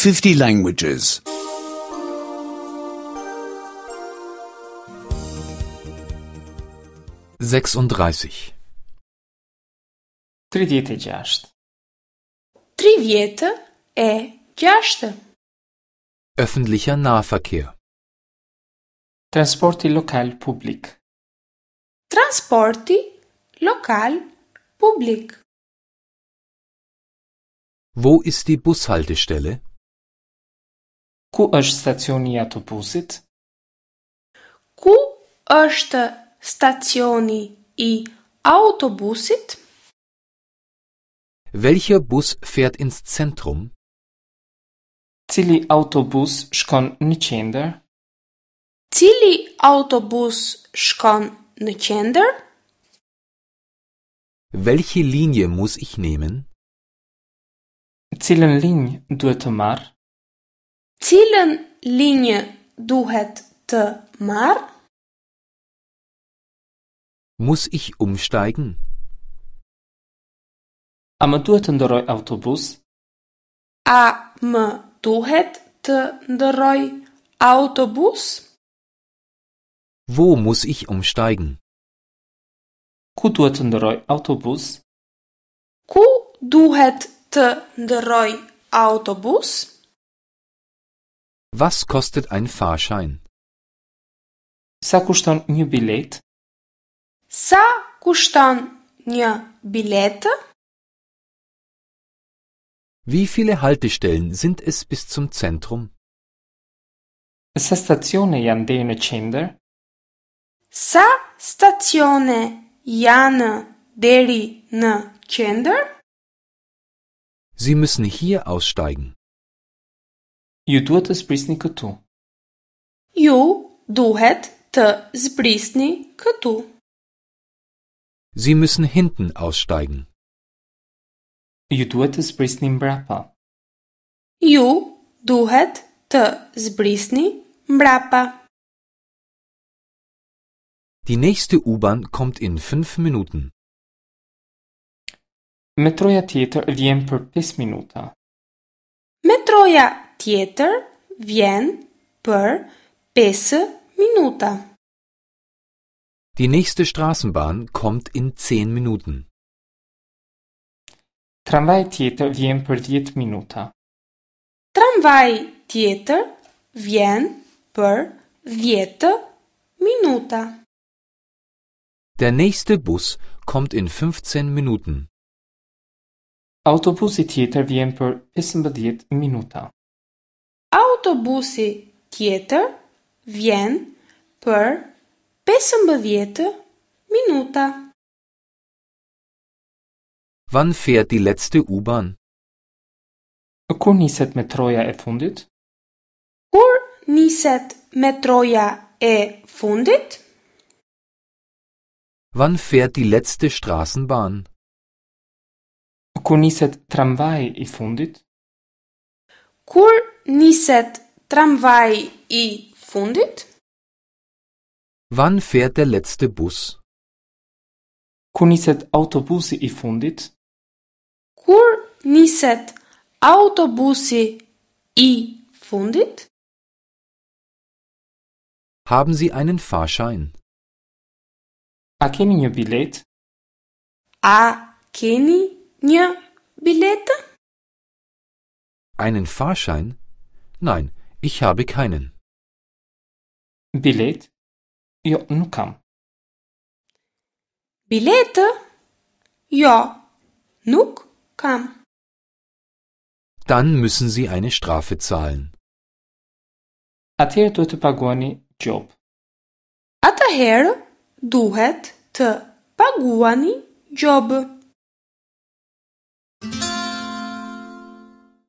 50 languages. 36. 36. 36. Öffentlicher Nahverkehr. Transporti lokal publik. Transporti lokal publik. Wo ist die Bushaltestelle? Ku është stacioni i autobusit? Ku është stacioni i autobusit? Welcher Bus fährt ins Zentrum? Cili autobus shkon në qendër? Cili autobus shkon në qendër? Welche Linie muss ich nehmen? Cilën linjë duhet të marr? Cilën linjë duhet të marr? Muss ich umsteigen? A më duhet të ndërroj autobus? A më duhet të ndërroj autobus? Wo muss ich umsteigen? Ku duhet të ndërroj autobus? Ku duhet të ndërroj autobus? Was kostet ein Fahrschein? Sa kushton një biletë? Sa kushton një biletë? Wie viele Haltestellen sind es bis zum Zentrum? Sa stacione janë deri në qendër? Sa stacione janë deri në qendër? Sie müssen hier aussteigen. Ju duhet të zbrisni këtu. Ju duhet të zbrisni këtu. Sie müssen hinten aussteigen. Ju duhet të zbrisni mbrapa. Ju duhet të zbrisni mbrapa. Die nächste U-Bahn kommt in 5 Minuten. Metroja tjetër vjen për 5 minuta. Metroja tjetër vjen për 5 minuta. Die nächste Straßenbahn kommt in 10 Minuten. Tramvaji tjetër vjen për 10 minuta. Tramvaji tjetër vjen për 10 minuta. Der nächste Bus kommt in 15 Minuten. Autobusi tjetër vjen për 15 minuta. Autobusi tjetër vjen për 15 minuta. Wann fährt die letzte U-Bahn? Kur niset metroja e fundit? Kur niset metroja e fundit? Wann fährt die letzte Straßenbahn? Kur niset tramvaji i fundit? Kur niset tramvaji i fundit? Wann fährt der letzte Bus? Kur niset autobusi i fundit? Kur niset autobusi i fundit? Haben Sie einen Fahrschein? A keni një biletë? A keni një biletë? Einen Fahrschein? Nein, ich habe keinen. Biletë? Jo, nuk kam. Biletë? Jo, nuk kam. Dann müssen Sie eine Strafe zahlen. Atëherë duhet të paguani gjobë. Atëherë duhet të paguani gjobë.